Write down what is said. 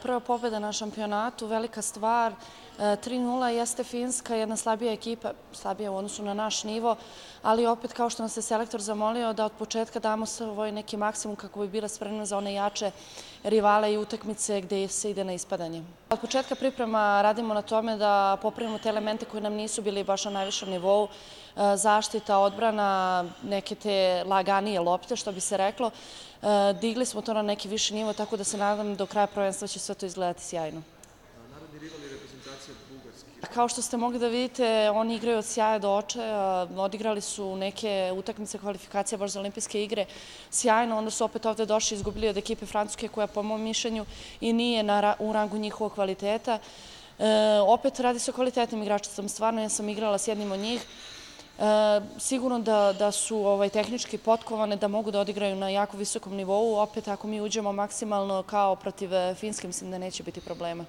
Prva pobjeda na šampionatu, velika stvar. 3:0 jeste Finska, jedna slabija ekipa, slabija u odnosu na naš nivo, ali opet kao što nas je selektor zamolio da od početka damo svoj neki maksimum kako bi bila spremna za one jače rivale i utakmice gde se ide na ispadanje. Od početka priprema radimo na tome da popravimo te elemente koji nam nisu bili baš na najvišem nivou, zaštita, odbrana, neke te laganije lopte, što bi se reklo. Digli smo to na neki viši nivo, tako da se nadam do kraja prvenstva će sve to izgledati sjajno. Narodni rival je reprezentacija Bugarske. Kao što ste mogli da vidite, oni igraju od sjaja do očaja, odigrali su neke utakmice kvalifikacija baš za olimpijske igre sjajno, onda su opet ovde došli i izgubili od ekipe Francuske koja po mom mišljenju i nije u rangu njihovog kvaliteta. Opet radi se o kvalitetnim igračicama, stvarno ja sam igrala s jednim od njih. Sigurno da su tehnički potkovane, da mogu da odigraju na jako visokom nivou. Opet ako mi uđemo maksimalno kao protiv Finske, mislim da neće biti problema.